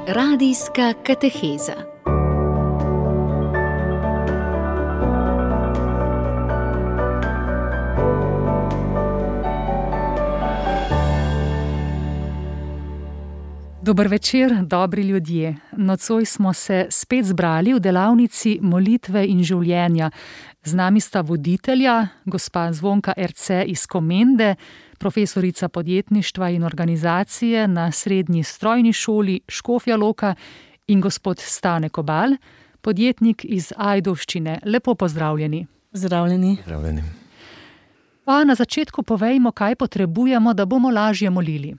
Radijska kateheza. Dober večer, dobri ljudje. Nocoj smo se spet zbrali v delavnici molitve in življenja. Z nami sta voditelja, gospa Zvonka Erce iz Komende, profesorica podjetništva in organizacije na Srednji strojni šoli Škofja Loka in gospod Stane Kobal, podjetnik iz Ajdovščine. Lepo pozdravljeni. Zdravljeni. Pa na začetku povejmo, kaj potrebujemo, da bomo lažje molili.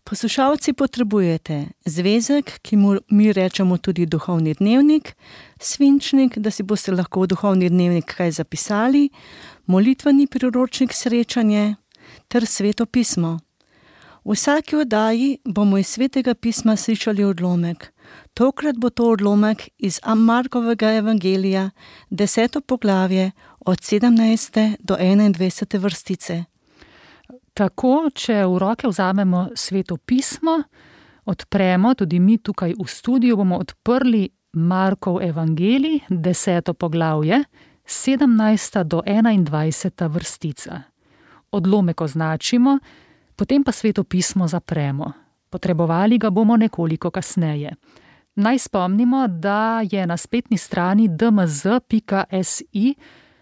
Poslušalci, potrebujete zvezek, ki mu mi rečemo tudi duhovni dnevnik, svinčnik, da si boste lahko v duhovni dnevnik kaj zapisali, molitveni priročnik srečanje ter Sveto pismo. V vsaki oddaji bomo iz Svetega pisma slišali odlomek. Tokrat bo to odlomek iz Markovega evangelija, 10. poglavje, od 17. do 21. vrstice. Tako, če v roke vzamemo Sveto pismo, odpremo, tudi mi tukaj v studiu bomo odprli Markov evangelij, 10. poglavje, 17. do 21. vrstica. Odlomek označimo, potem pa Sveto pismo zapremo. Potrebovali ga bomo nekoliko kasneje. Naj spomnimo, da je na spletni strani dmz.si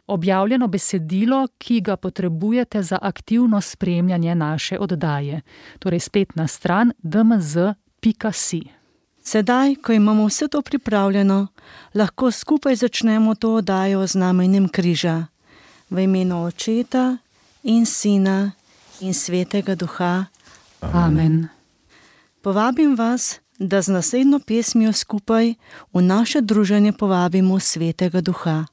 objavljeno besedilo, ki ga potrebujete za aktivno spremljanje naše oddaje. Torej spletna stran dmz.si. Sedaj, ko imamo vse to pripravljeno, lahko skupaj začnemo to oddajo z znamenjem križa. V imenu Očeta in Sina in Svetega Duha. Amen. Povabim vas, da z naslednjo pesmijo skupaj v naše druženje povabimo Svetega Duha.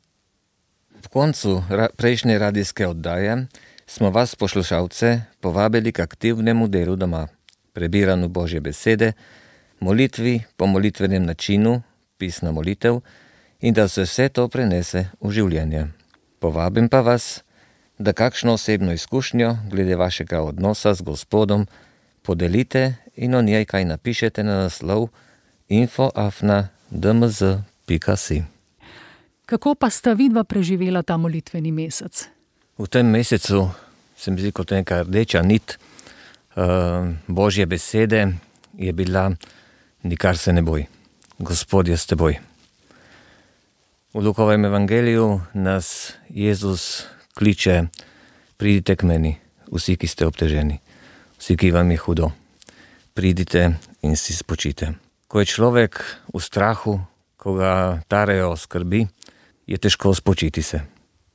V koncu prejšnje radijske oddaje smo vas, poslušalce, povabili k aktivnemu delu doma, prebiranju Božje besede, molitvi po molitvenem načinu, pisna molitev, in da se vse to prenese v življenje. Povabim pa vas, da kakšno osebno izkušnjo glede vašega odnosa z Gospodom podelite in o njej kaj napišete na naslov info@dmz.si. Kako pa sta vidva preživela ta molitveni mesec? V tem mesecu se mi zdi kot neka rdeča nit Božje besede je bila: nikar se ne boj, Gospod je s teboj. V Lukovem evangeliju nas Jezus kliče: pridite k meni, vsi, ki ste obteženi, vsi, ki vam je hudo. Pridite in si spočite. Ko je človek v strahu, ko ga tarejo skrbi, je težko spočiti se.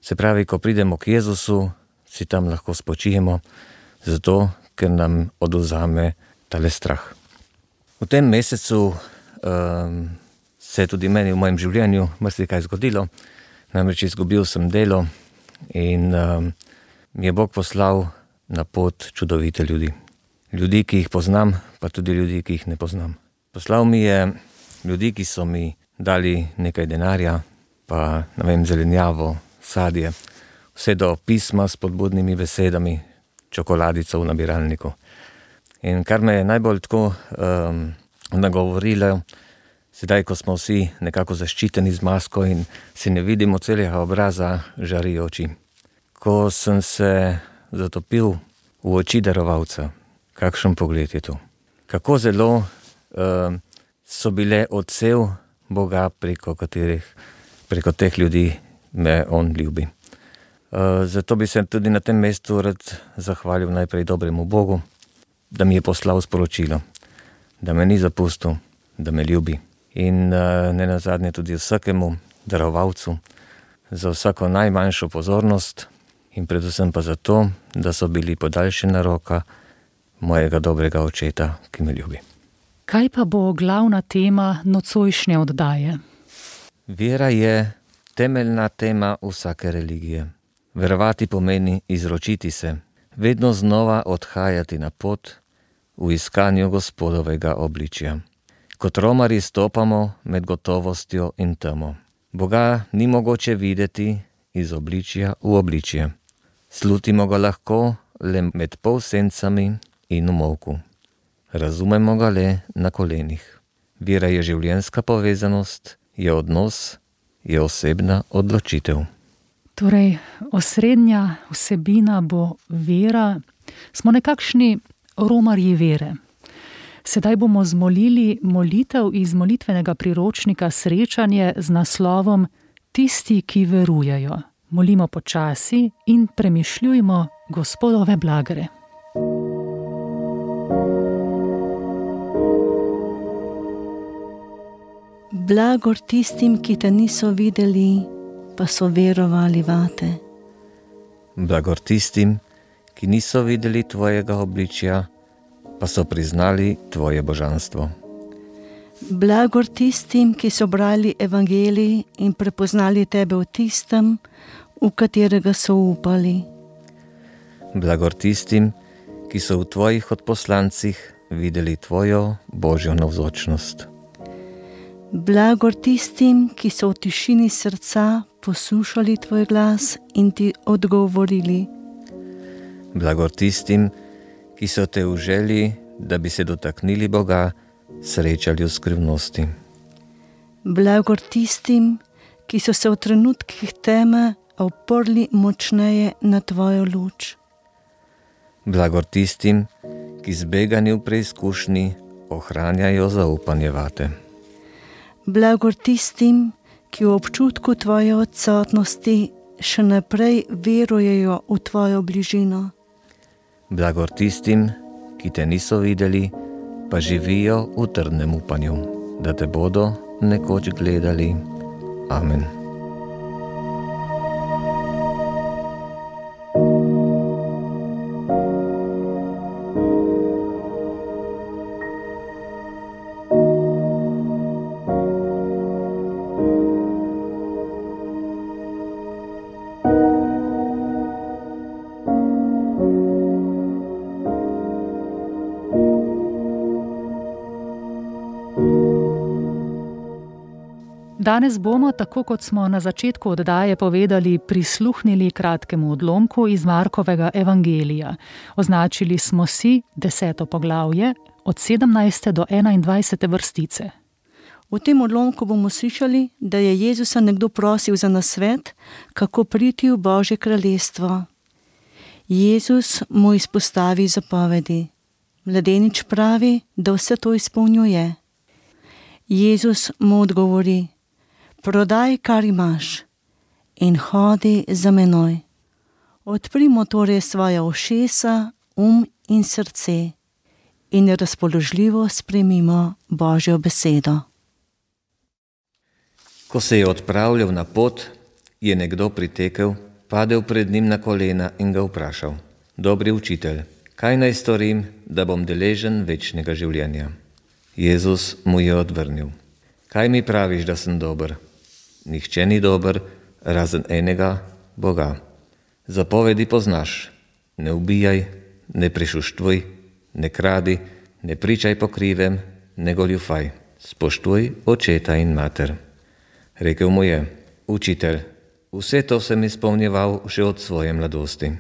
Se pravi, ko pridemo k Jezusu, si tam lahko spočijemo, zato, ker nam odvzame tale strah. V tem mesecu se je tudi meni v mojem življenju marsikaj zgodilo. Namreč izgubil sem delo in mi je Bog poslal na pot čudovite ljudi. Ljudi, ki jih poznam, pa tudi ljudi, ki jih ne poznam. Poslal mi je ljudi, ki so mi dali nekaj denarja, pa zelenjavo, sadje, vse do pisma s spodbudnimi besedami, čokoladico v nabiralniku. In kar me je najbolj tako nagovorilo, sedaj, ko smo vsi nekako zaščiteni z masko in si ne vidimo celega obraza, žari oči. Ko sem se zatopil v oči darovalca, kakšen pogled je to. Kako zelo so bile odsev Boga, preko teh ljudi me on ljubi. Zato bi se tudi na tem mestu rad zahvalil najprej dobremu Bogu, da mi je poslal sporočilo, da me ni zapustil, da me ljubi. In ne nazadnje tudi vsakemu darovalcu za vsako najmanjšo pozornost in predvsem pa zato, da so bili podaljšana roka mojega dobrega Očeta, ki me ljubi. Kaj pa bo glavna tema nocojšnje oddaje? Vera je temeljna tema vsake religije. Verovati pomeni izročiti se, vedno znova odhajati na pot v iskanju Gospodovega obličja. Kot romarji stopamo med gotovostjo in temo. Boga ni mogoče videti iz obličja v obličje. Slutimo ga lahko le med polsencami in v molku. Razumemo ga le na kolenih. Vera je življenjska povezanost, je odnos, je osebna odločitev. Torej, osrednja vsebina bo vera. Smo nekakšni romarji vere. Sedaj bomo zmolili molitev iz molitvenega priročnika Srečanje z naslovom Tisti, ki verujejo. Molimo počasi in premišljujmo Gospodove blagere. Blagor tistim, ki te niso videli, pa so verovali vate. Blagor tistim, ki niso videli tvojega obličja, pa so priznali tvoje božanstvo. Blagor tistim, ki so brali evangelij in prepoznali tebe v tistem, v katerega so upali. Blagor tistim, ki so v tvojih odposlancih videli tvojo božjo navzočnost. Blagor tistim, ki so v tišini srca poslušali tvoj glas in ti odgovorili. Blagor tistim, ki so te v želji, da bi se dotaknili Boga, srečali v skrivnosti. Blagor tistim, ki so se v trenutkih teme oprli močneje na tvojo luč. Blagor tistim, ki zbegani v preizkušnji ohranjajo zaupanje vate. Blagor tistim, ki v občutku tvoje odsotnosti še naprej verujejo v tvojo bližino. Blagor tistim, ki te niso videli, pa živijo v trdnem upanju, da te bodo nekoč gledali. Amen. Danes bomo, tako kot smo na začetku oddaje povedali, prisluhnili kratkemu odlomku iz Markovega evangelija. Označili smo si 10. poglavje od 17. do 21. vrstice. V tem odlomku bomo slišali, da je Jezusa nekdo prosil za nasvet, kako priti v Božje kraljestvo. Jezus mu izpostavi zapovedi. Mladenič pravi, da vse to izpolnjuje. Jezus mu odgovori: prodaj, kar imaš, in hodi za menoj. Odprimo torej svoja ušesa, in srce in razpoložljivo sprejmimo Božjo besedo. Ko se je odpravljal na pot, je nekdo pritekel, padel pred njim na kolena in ga vprašal: Dobri učitelj, kaj naj storim, da bom deležen večnega življenja? Jezus mu je odvrnil: Kaj mi praviš, da sem dober? Nihče ni dober, razen enega, Boga. Zapovedi poznaš: ne ubijaj, ne prešuštvuj, ne kradi, ne pričaj po krivem, ne goljufaj, spoštuj očeta in mater. Rekel mu je: Učitelj, vse to sem izpolnjeval še od svoje mladosti.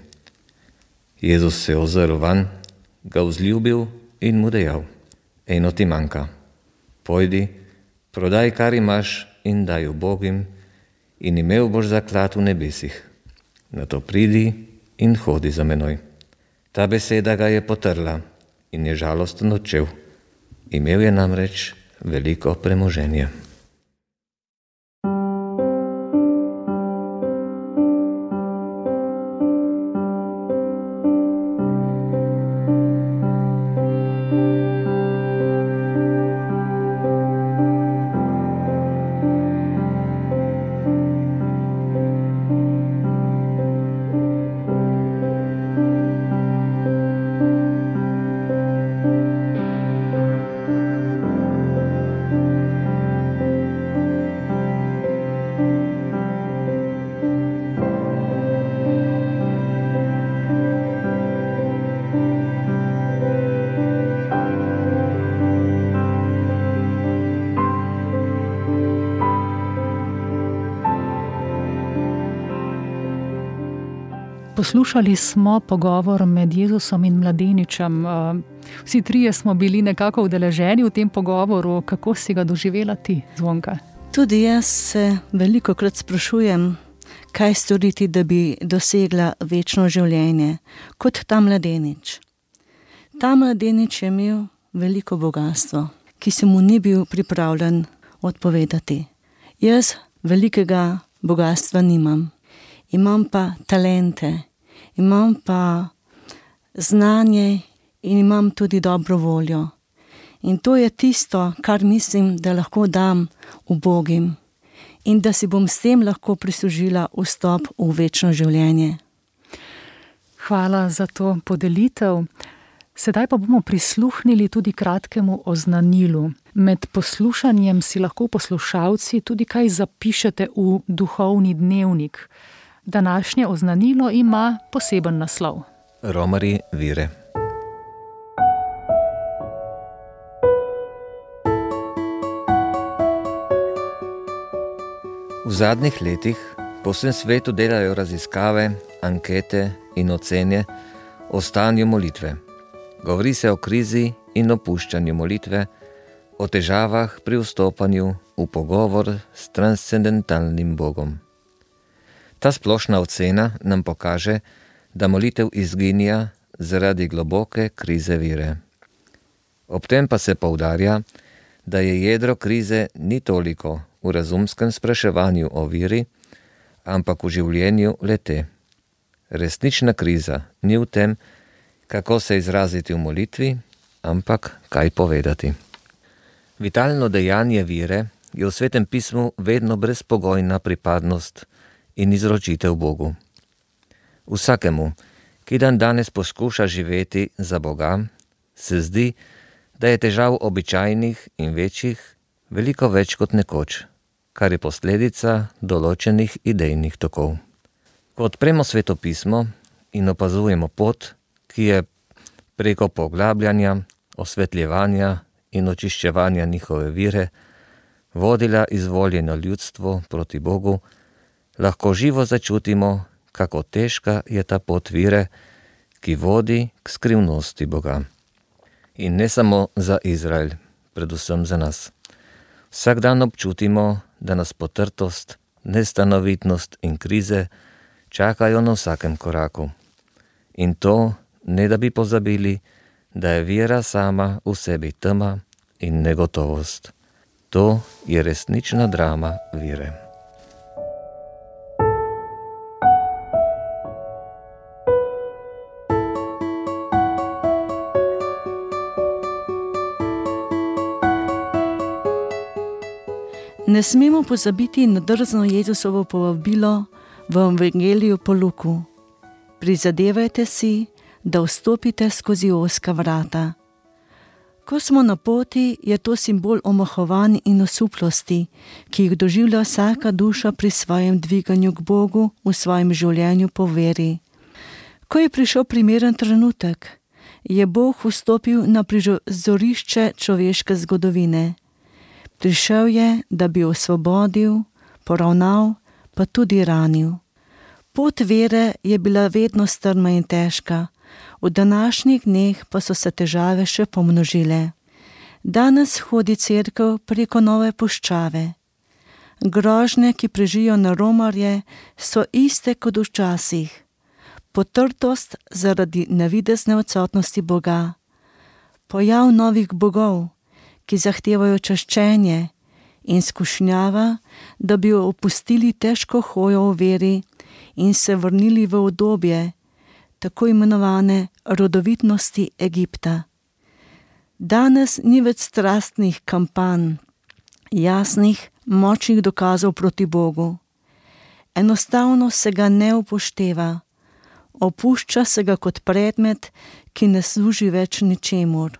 Jezus se je ozrl van, ga vzljubil in mu dejal: Eno ti manjka. Pojdi, prodaj, kar imaš, in daj ubogim, in imel boš zaklad v nebesih. Nato pridi in hodi za menoj. Ta beseda ga je potrla in je žalosten odšel. Imel je namreč veliko premoženja. Poslušali smo pogovor med Jezusom in mladeničem. Vsi trije smo bili nekako udeleženi v tem pogovoru. Kako si ga doživela ti, Zvonka? Tudi jaz se velikokrat sprašujem, kaj storiti, da bi dosegla večno življenje, kot ta mladenič. Ta mladenič je imel veliko bogastvo, ki se mu ni bil pripravljen odpovedati. Jaz velikega bogastva nimam. Imam pa talente, imam pa znanje in imam tudi dobro voljo. In to je tisto, kar mislim, da lahko dam ubogim in da si bom s tem lahko prislužila vstop v večno življenje. Hvala za to podelitev. Sedaj pa bomo prisluhnili tudi kratkemu oznanilu. Med poslušanjem si lahko poslušalci tudi kaj zapišete v duhovni dnevnik. Današnje oznanilo ima poseben naslov. Romarji vire. V zadnjih letih po vsem svetu delajo raziskave, ankete in ocene o stanju molitve. Govori se o krizi in opuščanju molitve, o težavah pri vstopanju v pogovor s transcendentalnim Bogom. Ta splošna ocena nam pokaže, da molitev izginja zaradi globoke krize vire. Ob tem pa se poudarja, da je jedro krize ni toliko v razumskem spraševanju o viri, ampak v življenju le-te. Resnična kriza ni v tem, kako se izraziti v molitvi, ampak kaj povedati. Vitalno dejanje vire je v Svetem pismu vedno brezpogojna pripadnost in izročitev Bogu. Vsakemu, ki danes poskuša živeti za Boga, se zdi, da je težav običajnih in večjih veliko več kot nekoč, kar je posledica določenih idejnih tokov. Ko odpremo Sveto pismo in opazujemo pot, ki je preko poglabljanja, osvetljevanja in očiščevanja njihove vire vodila izvoljeno ljudstvo proti Bogu, lahko živo začutimo, kako težka je ta pot vire, ki vodi k skrivnosti Boga. In ne samo za Izrael, predvsem za nas. Vsak dan občutimo, da nas potrtost, nestanovitnost in krize čakajo na vsakem koraku. In to, ne da bi pozabili, da je vera sama v sebi tema in negotovost. To je resnična drama vire. Ne smemo pozabiti na drzno Jezusovo povabilo v Evangeliju po Luku. Prizadevajte si, da vstopite skozi ozka vrata. Ko smo na poti, je to simbol omahovanj in osuplosti, ki jih doživlja vsaka duša pri svojem dviganju k Bogu v svojem življenju po veri. Ko je prišel primeren trenutek, je Bog vstopil na prizorišče človeške zgodovine. Prišel je, da bi osvobodil, poravnal, pa tudi ranil. Pot vere je bila vedno strma in težka, v današnjih dneh pa so se težave še pomnožile. Danes hodi cerkev preko nove puščave. Grožnje, ki prežijo na romarje, so iste kot včasih. Potrtost zaradi navidezne odsotnosti Boga. Pojav novih bogov, ki zahtevajo čaščenje, in skušnjava, da bi opustili težko hojo v veri in se vrnili v obdobje tako imenovane rodovitnosti Egipta. Danes ni več strastnih kampanj, jasnih, močnih dokazov proti Bogu. Enostavno se ga ne upošteva, opušča se ga kot predmet, ki ne služi več ničemur.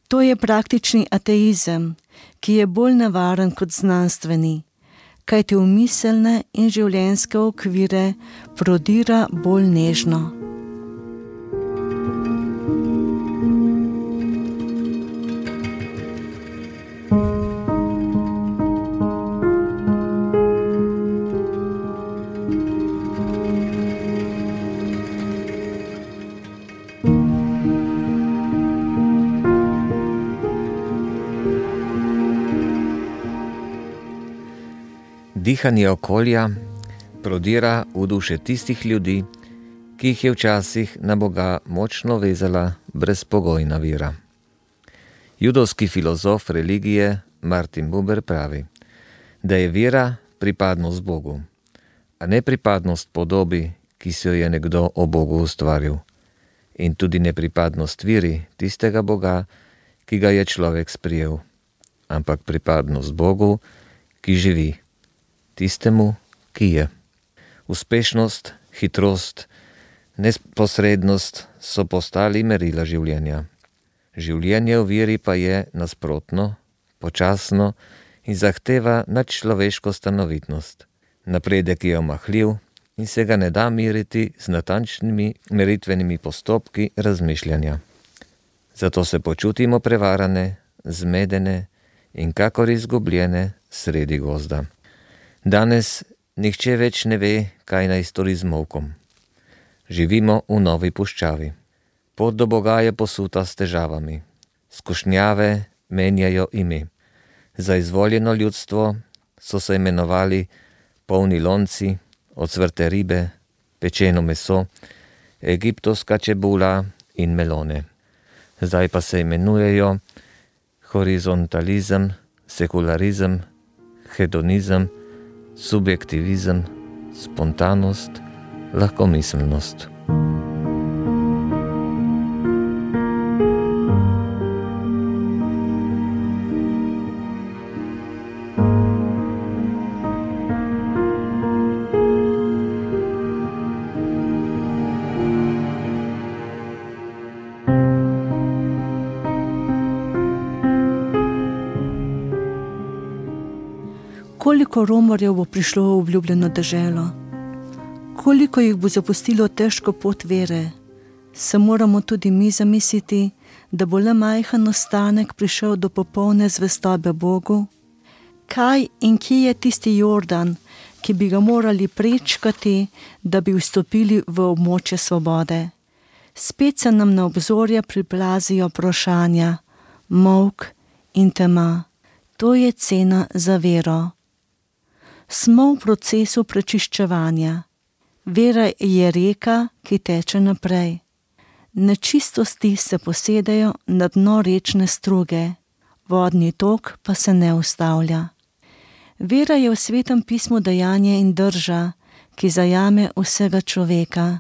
To je praktični ateizem, ki je bolj nevaren kot znanstveni, kajti v miselne in življenjske okvire prodira bolj nežno. Dihanje okolja prodira v duše tistih ljudi, ki jih je včasih na Boga močno vezala brezpogojna vera. Judovski filozof religije Martin Buber pravi, da je vera pripadnost Bogu, a ne pripadnost podobi, ki si jo je nekdo o Bogu ustvaril, in tudi ne pripadnost veri tistega Boga, ki ga je človek sprijel, ampak pripadnost Bogu, ki živi, tistemu, ki je. Uspešnost, hitrost, neposrednost so postali merila življenja. Življenje v veri pa je nasprotno, počasno in zahteva nadčloveško stanovitnost. Napredek je omahljiv in se ga ne da meriti z natančnimi meritvenimi postopki razmišljanja. Zato se počutimo prevarane, zmedene in kakor izgubljene sredi gozda. Danes nihče več ne ve, kaj naj stori z molkom. Živimo v novi puščavi. Pot do Boga je posuta s težavami. Skušnjave menjajo ime. Za izvoljeno ljudstvo so se imenovali polni lonci, ocvrte ribe, pečeno meso, egiptovska čebula in melone. Zdaj pa se imenujejo horizontalizem, sekularizem, hedonizem, subjektivizem, spontanost, lahkomiselnost. Koliko romarjev bo prišlo v obljubljeno deželo? Koliko jih bo zapustilo težko pot vere? Se moramo tudi mi zamisliti, da bo le majhen ostanek prišel do popolne zvestobe Bogu? Kaj in kje je tisti Jordan, ki bi ga morali prečkati, da bi vstopili v območje svobode? Spet se nam na obzorje priplazijo vprašanja, molk in tema. To je cena za vero. Smo v procesu prečiščevanja. Vera je reka, ki teče naprej. Nečistosti se posedajo na dno rečne struge, vodni tok pa se ne ustavlja. Vera je v Svetem pismu dejanje in drža, ki zajame vsega človeka.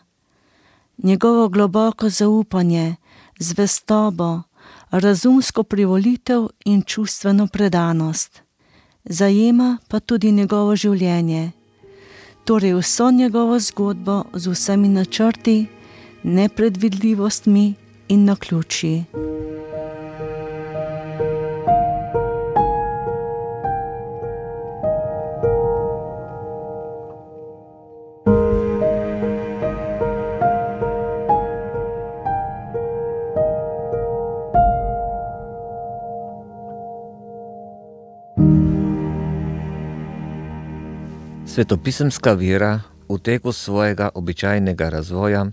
Njegovo globoko zaupanje, zvestobo, razumsko privolitev in čustveno predanost. Zajema pa tudi njegovo življenje, torej vso njegovo zgodbo z vsemi načrti, nepredvidljivostmi in naključji. Svetopisemska vera v teku svojega običajnega razvoja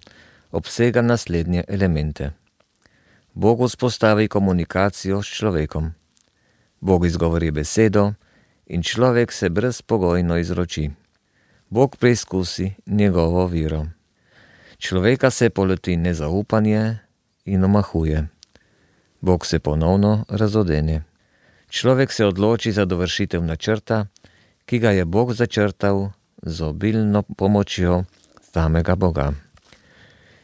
obsega naslednje elemente. Bog vzpostavi komunikacijo s človekom. Bog izgovori besedo in človek se brezpogojno izroči. Bog preizkusi njegovo vero. Človeka se poleti nezaupanje in omahuje. Bog se ponovno razodene. Človek se odloči za dovršitev načrta, ki ga je Bog začrtal z obilno pomočjo samega Boga.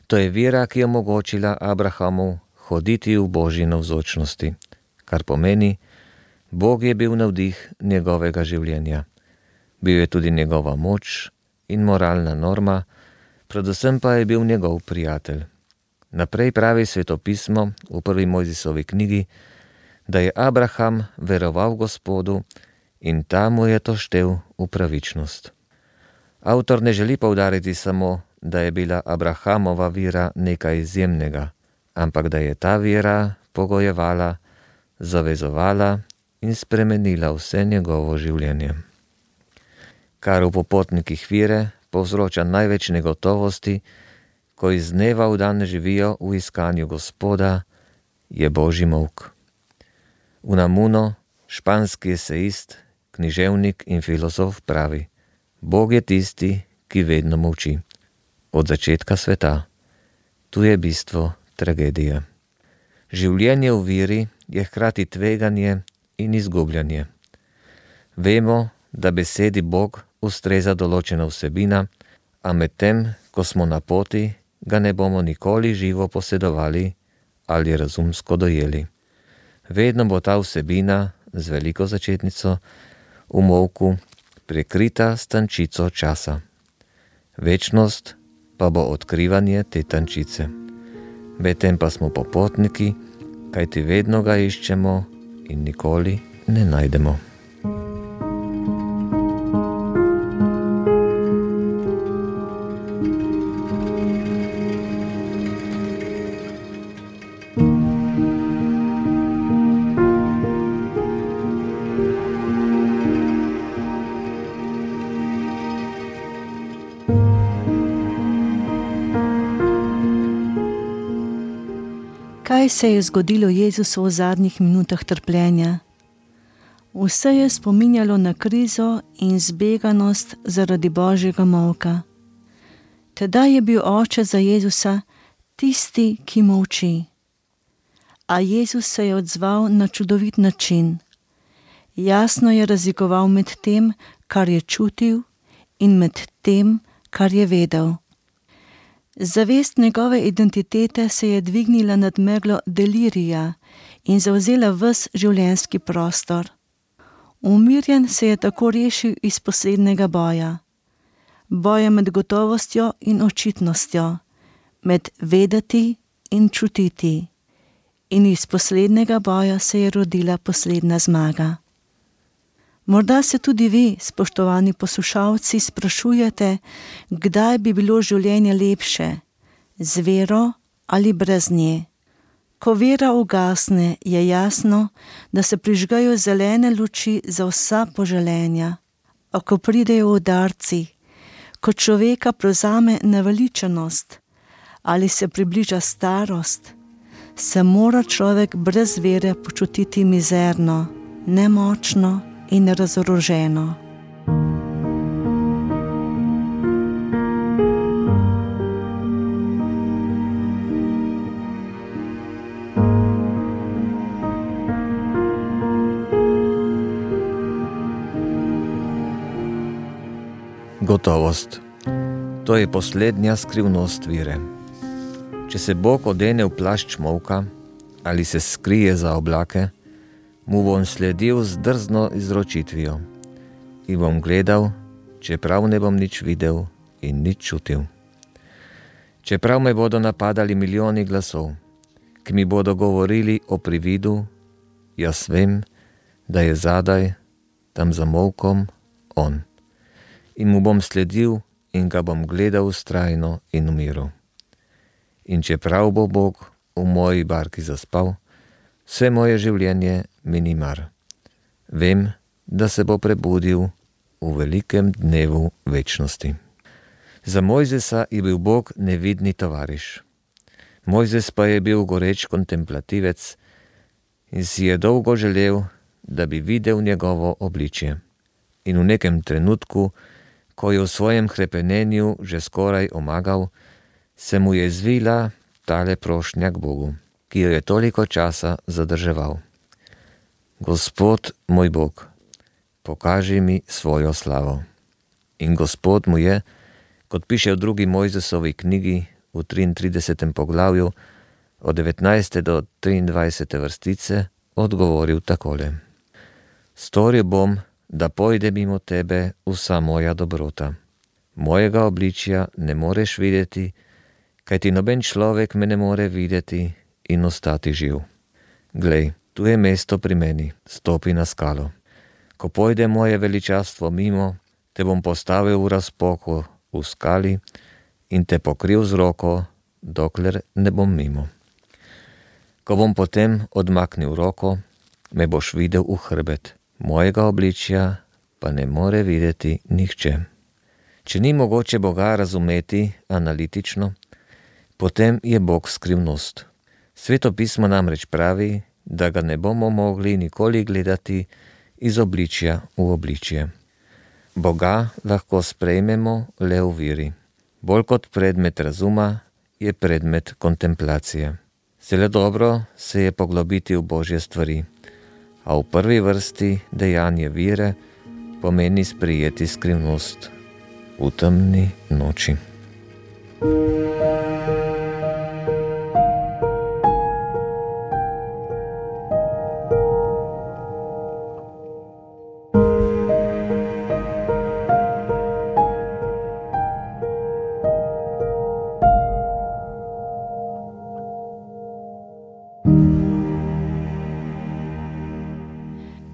To je vera, ki je omogočila Abrahamu hoditi v Božji navzočnosti, kar pomeni, Bog je bil navdih njegovega življenja. Bil je tudi njegova moč in moralna norma, predvsem pa je bil njegov prijatelj. Naprej pravi Svetopismo v prvi Mojzisovi knjigi, da je Abraham veroval Gospodu in ta mu je to štel v pravičnost. Avtor ne želi poudariti samo, da je bila Abrahamova vera nekaj izjemnega, ampak da je ta vera pogojevala, zavezovala in spremenila vse njegovo življenje. Kar v popotnikih vere povzroča največ negotovosti, ko iz dneva v dan živijo v iskanju Gospoda, je Božji molk. Unamuno, španski esejist, književnik in filozof pravi: Bog je tisti, ki vedno molči. Od začetka sveta. Tu je bistvo tragedije. Življenje v veri je hkrati tveganje in izgubljanje. Vemo, da besedi Bog ustreza določena vsebina, a medtem, ko smo na poti, ga ne bomo nikoli živo posedovali ali razumsko dojeli. Vedno bo ta vsebina z veliko začetnico v molku prekrita s tančico časa. Večnost pa bo odkrivanje te tančice. Medtem pa smo popotniki, kajti vedno ga iščemo in nikoli ne najdemo. Kaj se je zgodilo Jezusu v zadnjih minutah trpljenja? Vse je spominjalo na krizo in zbeganost zaradi Božjega molka. Tedaj je bil oče za Jezusa tisti, ki molči. A Jezus se je odzval na čudovit način. Jasno je razlikoval med tem, kar je čutil, in med tem, kar je vedel. Zavest njegove identitete se je dvignila nad meglo delirija in zavzela ves življenjski prostor. Umirjen se je tako rešil iz poslednjega boja. Boja med gotovostjo in očitnostjo, med vedeti in čutiti. In iz poslednjega boja se je rodila poslednja zmaga. Morda se tudi vi, spoštovani poslušalci, sprašujete, kdaj bi bilo življenje lepše, z vero ali brez nje. Ko vera ugasne, je jasno, da se prižgajo zelene luči za vsa poželenja. A ko pridejo udarci, ko človeka prevzame naveličanost ali se približa starost, se mora človek brez vere počutiti mizerno, nemočno in razoroženo. Gotovost. To je poslednja skrivnost vire. Če se Bog odene v plašč molka ali se skrije za oblake, mu bom sledil z drzno izročitvijo in bom gledal, čeprav ne bom nič videl in nič čutil. Čeprav me bodo napadali milijoni glasov, ki mi bodo govorili o prividu, jaz vem, da je zadaj, tam za molkom, on. In mu bom sledil in ga bom gledal vztrajno in v miru. In čeprav bo Bog v moji barki zaspal, vse moje življenje mi ni mar. Vem, da se bo prebudil v velikem dnevu večnosti. Za Mojzesa je bil Bog nevidni tovariš. Mojzes pa je bil goreč kontemplativec in si je dolgo želel, da bi videl njegovo obličje. In v nekem trenutku, ko je v svojem hrepenenju že skoraj omagal, se mu je zvila tale prošnja k Bogu, ki jo je toliko časa zadrževal. Gospod moj Bog, pokaži mi svojo slavo. In Gospod mu je, kot piše v 2. Mojzesovi knjigi v 33. poglavju od 19. do 23. vrstice, odgovoril takole. Storil bom, da pojde mimo tebe vsa moja dobrota. Mojega obličja ne moreš videti, kajti noben človek me ne more videti in ostati živ. Glej, tu je mesto pri meni, stopi na skalo. Ko pojde moje veličastvo mimo, te bom postavil v razpoko v skali in te pokril z roko, dokler ne bom mimo. Ko bom potem odmaknil roko, me boš videl v hrbet. Mojega obličja pa ne more videti nihče. Če ni mogoče Boga razumeti analitično, potem je Bog skrivnost. Sveto pismo namreč pravi, da ga ne bomo mogli nikoli gledati iz obličja v obličje. Boga lahko sprejmemo le v veri. Bolj kot predmet razuma je predmet kontemplacije. Zelo dobro se je poglobiti v Božje stvari, a v prvi vrsti dejanje vere pomeni sprejeti skrivnost v temni noči.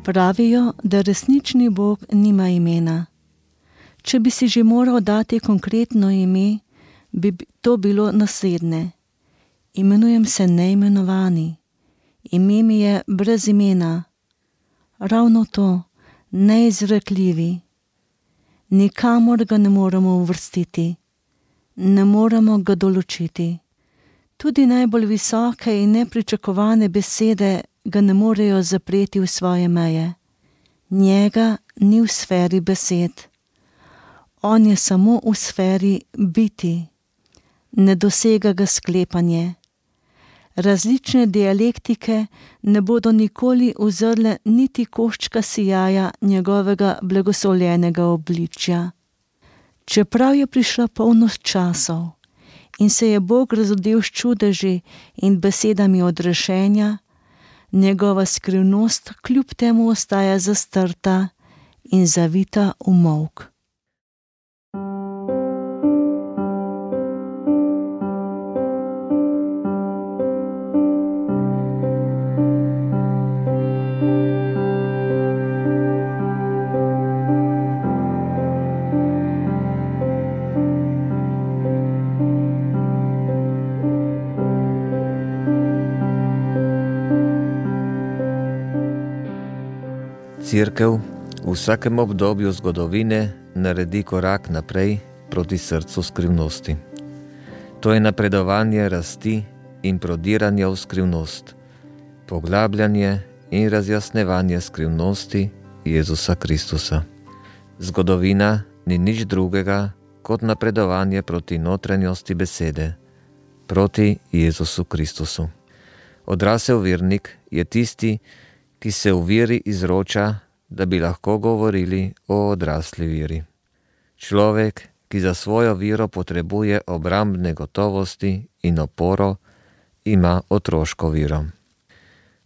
Pravijo, da resnični Bog nima imena. Če bi si že moral dati konkretno ime, bi to bilo naslednje. Imenujem se neimenovani. Ime mi je brez imena. Ravno to, neizrekljivi. Nikamor ga ne moremo uvrstiti. Ne moremo ga določiti. Tudi najbolj visoke in nepričakovane besede ga ne morejo zapreti v svoje meje. Njega ni v sferi besed. On je samo v sferi biti. Ne dosega ga sklepanje. Različne dialektike ne bodo nikoli uzrle niti koščka sijaja njegovega blagoslovljenega obličja. Čeprav je prišla polnost časov in se je Bog razodel s čudeži in besedami odrešenja, njegova skrivnost kljub temu ostaja zastrta in zavita v molk. Cerkev v vsakem obdobju zgodovine naredi korak naprej proti srcu skrivnosti. To je napredovanje rasti in prodiranja v skrivnost, poglabljanje in razjasnevanje skrivnosti Jezusa Kristusa. Zgodovina ni nič drugega kot napredovanje proti notranjosti besede, proti Jezusu Kristusu. Odrasel vernik je tisti, ki se v veri izroča, da bi lahko govorili o odrasli veri. Človek, ki za svojo vero potrebuje obrambne gotovosti in oporo, ima otroško vero.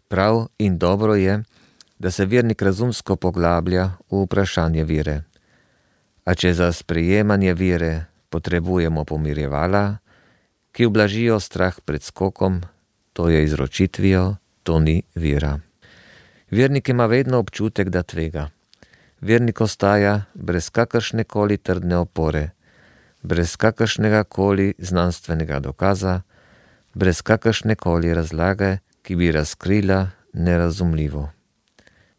Prav in dobro je, da se vernik razumsko poglablja v vprašanje vere. A če za sprejemanje vere potrebujemo pomirjevala, ki ublažijo strah pred skokom, to je izročitvijo, to ni vera. Vernik ima vedno občutek, da tvega. Vernik ostaja brez kakršne koli trdne opore, brez kakršnega koli znanstvenega dokaza, brez kakršne koli razlage, ki bi razkrila nerazumljivo.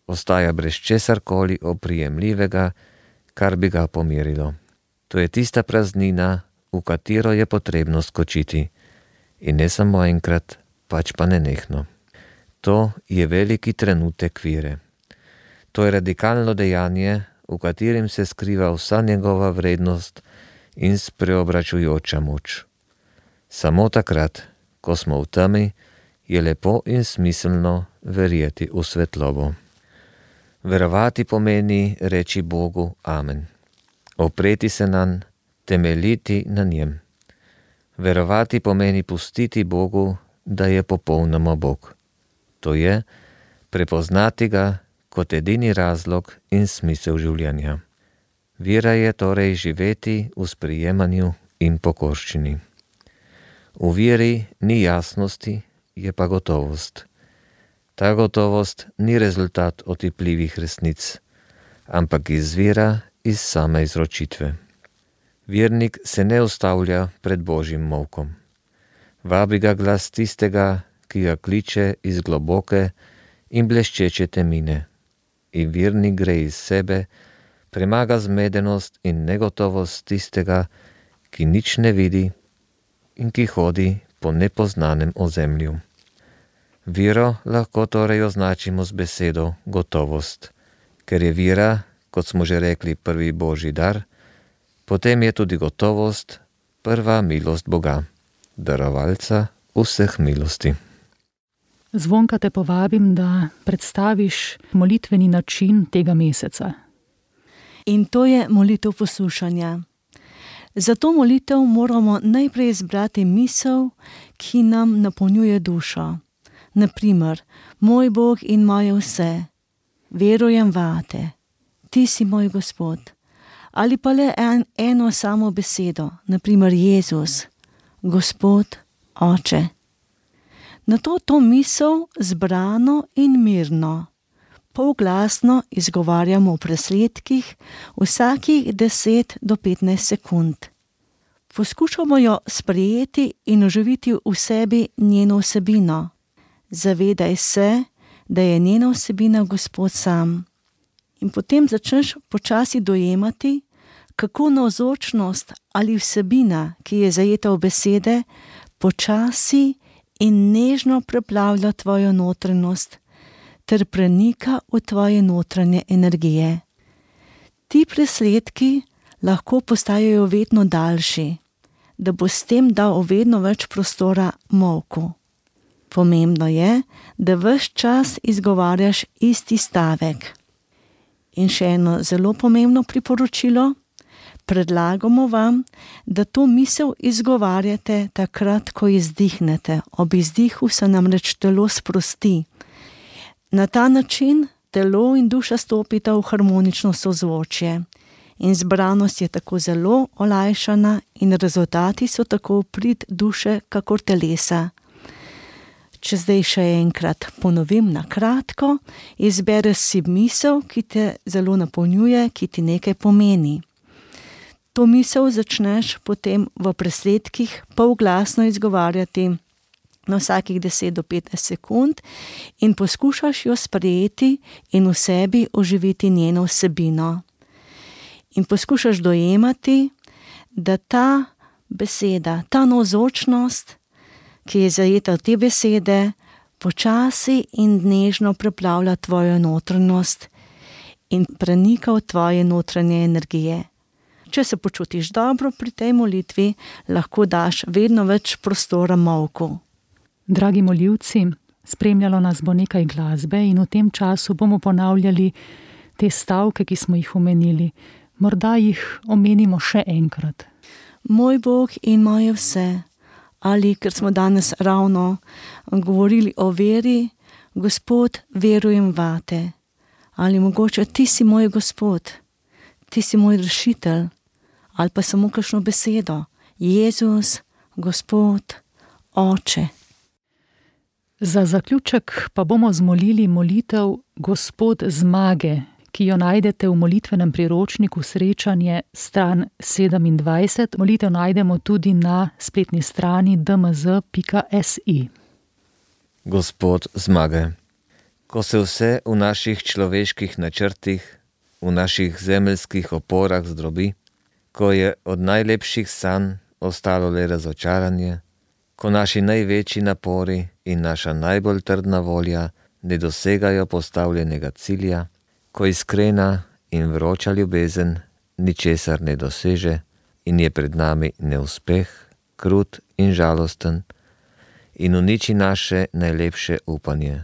Ostaja brez česarkoli oprijemljivega, kar bi ga pomirilo. To je tista praznina, v katero je potrebno skočiti. In ne samo enkrat, pač pa nenehno. To je veliki trenutek vere. To je radikalno dejanje, v katerem se skriva vsa njegova vrednost in spreobračujoča moč. Samo takrat, ko smo v temi, je lepo in smiselno verjeti v svetlobo. Verovati pomeni reči Bogu amen. Opreti se nanj, temeljiti na njem. Verovati pomeni pustiti Bogu, da je popolnoma Bog. To je prepoznati ga kot edini razlog in smisel življenja. Vera je torej živeti v sprijemanju in pokorščini. V veri ni jasnosti, je pa gotovost. Ta gotovost ni rezultat otipljivih resnic, ampak izvira iz same izročitve. Vernik se ne ustavlja pred Božjim molkom. Vabi ga glas tistega, ki ga kliče iz globoke in bleščeče temine. In vernik gre iz sebe, premaga zmedenost in negotovost tistega, ki nič ne vidi in ki hodi po nepoznanem ozemlju. Vero lahko torej označimo z besedo gotovost, Ker je vira, kot smo že rekli, prvi božji dar, potem je tudi gotovost prva milost Boga, darovalca vseh milosti. Zvonka, te povabim, da predstaviš molitveni način tega meseca. In to je molitev poslušanja. Za to molitev moramo najprej izbrati misel, ki nam napolnjuje dušo. Naprimer, moj Bog in moje vse, verujem vate, ti si moj Gospod. Ali pa le eno samo besedo, naprimer Jezus, Gospod, Oče. Nato to misel zbrano in mirno, polglasno izgovarjamo v presledkih vsakih 10 do 15 sekund. Poskušamo jo sprejeti in oživiti v sebi njeno vsebino. Zavedaj se, da je njena vsebina Gospod sam. In potem začneš počasi dojemati, kako navzočnost ali vsebina, ki je zajeta v besede, počasi in nežno preplavlja tvojo notranjost ter prenika v tvoje notranje energije. Ti presledki lahko postajajo vedno daljši, da bo s tem dal vedno več prostora molku. Pomembno je, da ves čas izgovarjaš isti stavek. In še eno zelo pomembno priporočilo, predlagamo vam, da to misel izgovarjate takrat, ko izdihnete. Ob izdihu se namreč telo sprosti. Na ta način telo in duša stopita v harmonično sozvočje. In zbranost je tako zelo olajšana in rezultati so tako v prid duše kakor telesa. Če zdaj še enkrat ponovim na kratko, izbereš si misel, ki te zelo napolnjuje, ki ti nekaj pomeni. To misel začneš potem v presledkih polglasno izgovarjati na vsakih 10 do 15 sekund in poskušaš jo sprejeti in v sebi oživiti njeno vsebino. In poskušaš dojemati, da ta beseda, ta navzočnost, ki je zajeta v te besede, počasi in nežno preplavlja tvojo notranjost in prenika v tvoje notranje energije. Če se počutiš dobro pri tej molitvi, lahko daš vedno več prostora molku. Dragi molivci, spremljalo nas bo nekaj glasbe in v tem času bomo ponavljali te stavke, ki smo jih omenili. Morda jih omenimo še enkrat. Moj Bog in moje vse. Ali, ker smo danes ravno govorili o veri, Gospod, verujem vate. Ali mogoče ti si moj Gospod, ti si moj rešitelj. Ali pa samo kakšno besedo, Jezus, Gospod, Oče. Za zaključek pa bomo zmolili molitev Gospod zmage, ki jo najdete v molitvenem priročniku Srečanje, stran 27. Molitev najdemo tudi na spletni strani dmz.si. Gospod zmage, ko se vse v naših človeških načrtih, v naših zemeljskih oporah zdrobi, ko je od najlepših sanj ostalo le razočaranje, ko naši največji napori in naša najbolj trdna volja ne dosegajo postavljenega cilja, ko iskrena in vroča ljubezen ničesar ne doseže in je pred nami neuspeh, krut in žalosten in uniči naše najlepše upanje.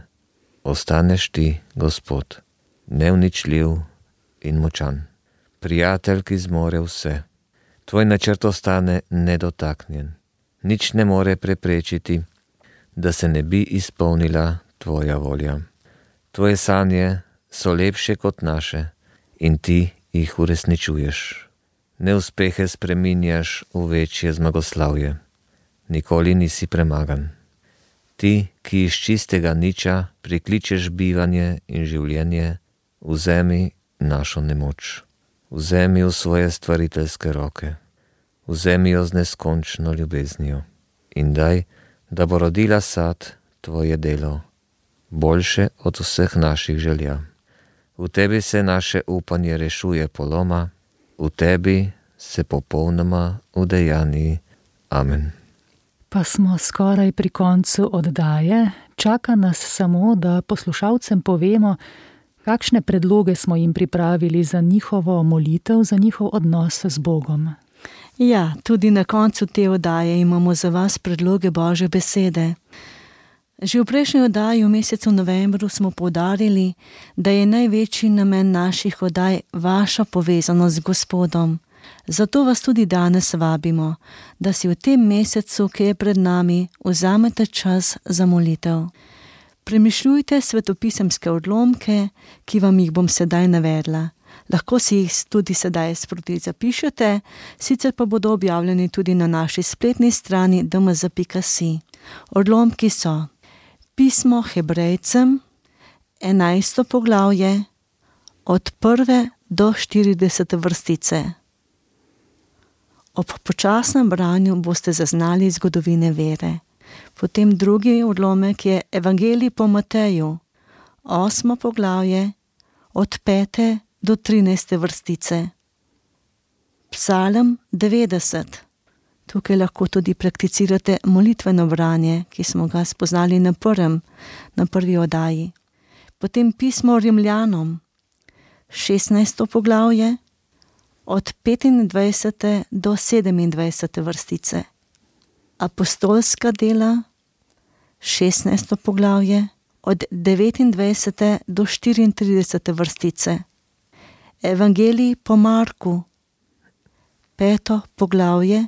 Ostaneš ti, Gospod, neuničljiv in močan, prijatelj, ki zmore vse. Tvoj načrt ostane nedotaknjen. Nič ne more preprečiti, da se ne bi izpolnila tvoja volja. Tvoje sanje so lepše kot naše in ti jih uresničuješ. Neuspehe spreminjaš v večje zmagoslavje. Nikoli nisi premagan. Ti, ki iz čistega niča prikličeš bivanje in življenje, vzemi našo nemoč. Vzemi v svoje stvariteljske roke. Vzemi jo z neskončno ljubeznijo in daj, da bo rodila sad tvoje delo, boljše od vseh naših želja. V tebi se naše upanje rešuje poloma, v tebi se popolnoma udejani. Amen. Pa smo skoraj pri koncu oddaje. Čaka nas samo, da poslušalcem povemo, Kakšne predloge smo jim pripravili za njihovo molitev, za njihov odnos z Bogom? Ja, tudi na koncu te oddaje imamo za vas predloge Božje besede. Že v prejšnji oddaji v mesecu novembru smo poudarili, da je največji namen naših oddaj vaša povezanost z Gospodom. Zato vas tudi danes vabimo, da si v tem mesecu, ki je pred nami, vzamete čas za molitev. Premišljujte svetopisemske odlomke, ki vam jih bom sedaj navedla. Lahko si jih tudi sedaj sproti zapišete, sicer pa bodo objavljeni tudi na naši spletni strani dmz.si. Odlomki so: Pismo Hebrejcem, 11. poglavje, od 1. do 40. vrstice. Ob počasnem branju boste zaznali zgodovine vere. Potem drugi odlomek je Evangelij po Mateju, 8. poglavje, od 5. do 13. vrstice. Psalm 90. Tukaj lahko tudi prakticirate molitveno branje, ki smo ga spoznali na prvi oddaji. Potem pismo Rimljanom, 16. poglavje, od 25. do 27. vrstice. Apostolska dela, 16. poglavje, od 29. do 34. vrstice. Evangelij po Marku, 5. poglavje,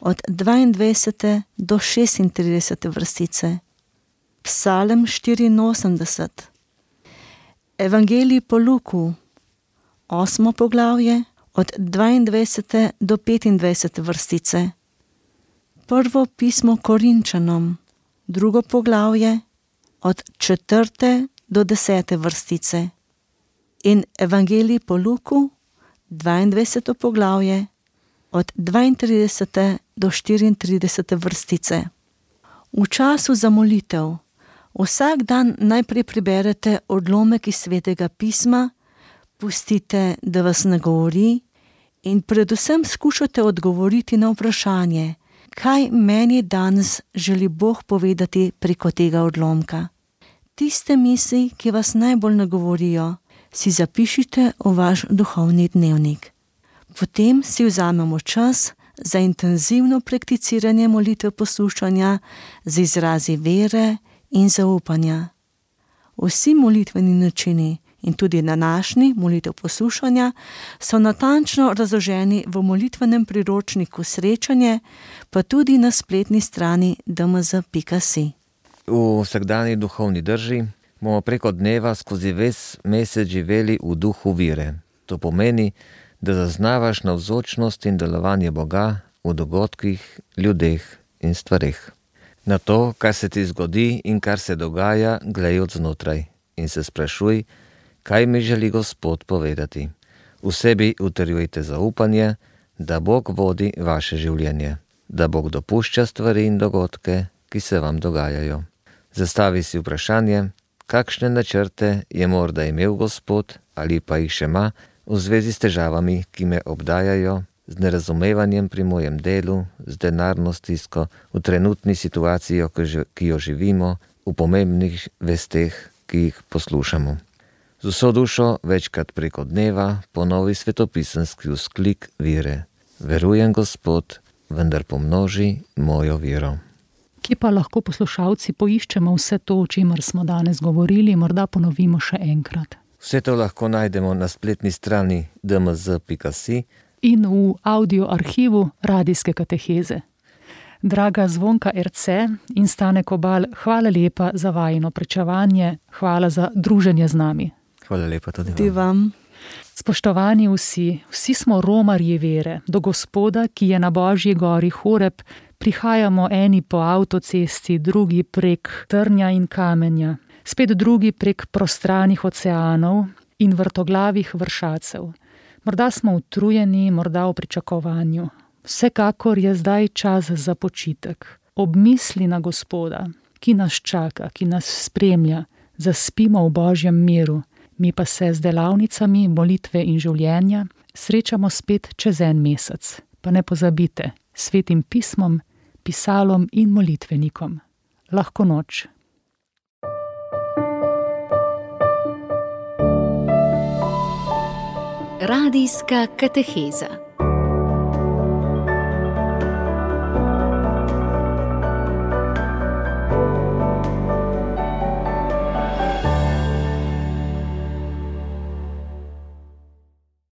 od 22. do 36. vrstice. Psalm 84. Evangelij po Luku, 8. poglavje, od 22. do 25. vrstice. Prvo pismo Korinčanom, 2. poglavje, od 4. do 10. vrstice. In Evangelij po Luku, 22. poglavje, od 32. do 34. vrstice. V času za molitev vsak dan najprej preberete odlomek iz Svetega pisma, pustite, da vas nagovori in predvsem skušate odgovoriti na vprašanje, kaj meni danes želi Bog povedati preko tega odlomka. Tiste misli, ki vas najbolj nagovorijo, si zapišite v vaš duhovni dnevnik. Potem si vzamemo čas za intenzivno prakticiranje molitve poslušanja z izrazi vere in zaupanja. Vsi molitveni načini in tudi današnji molitev poslušanja so natančno razloženi v molitvenem priročniku Srečanje, pa tudi na spletni strani dmz.si. V vsakdanji duhovni drži bomo preko dneva skozi ves mesec živeli v duhu vire. To pomeni, da zaznavaš navzočnost in delovanje Boga v dogodkih, ljudeh in stvareh. Na to, kar se ti zgodi in kar se dogaja, glej od znotraj in se sprašuj, kaj mi želi Gospod povedati. V sebi utrjujte zaupanje, da Bog vodi vaše življenje, da Bog dopušča stvari in dogodke, ki se vam dogajajo. Zastavi si vprašanje, kakšne načrte je morda imel Gospod ali pa jih še ima v zvezi s težavami, ki me obdajajo, z nerazumevanjem pri mojem delu, z denarno stisko, v trenutni situaciji, ki jo živimo, v pomembnih vesteh, ki jih poslušamo. Z vso dušo večkrat preko dneva ponovi svetopisemski vzklik vire. Verujem, Gospod, vendar pomnoži mojo vero. Kje pa lahko poslušalci poiščemo vse to, o čemer smo danes govorili, morda ponovimo še enkrat? Vse to lahko najdemo na spletni strani dmz.si in v audio arhivu radijske kateheze. Draga Zvonka Erce in Stane Kobal, hvala lepa za vajino pričevanje, hvala za druženje z nami. Hvala lepa tudi vam. Spoštovani vsi smo romarji vere, do Gospoda, ki je na Božji gori Horeb, prihajamo eni po avtocesti, drugi prek trnja in kamenja, spet drugi prek prostranih oceanov in vrtoglavih vršacev. Morda smo utrujeni, morda v pričakovanju. Vsekakor je zdaj čas za počitek. Ob misli na Gospoda, ki nas čaka, ki nas spremlja, zaspimo v Božjem miru, mi pa se z delavnicami molitve in življenja srečamo spet čez en mesec. Pa ne pozabite, Svetim pismom, pisalom in molitvenikom. Lahko noč. Radijska kateheza.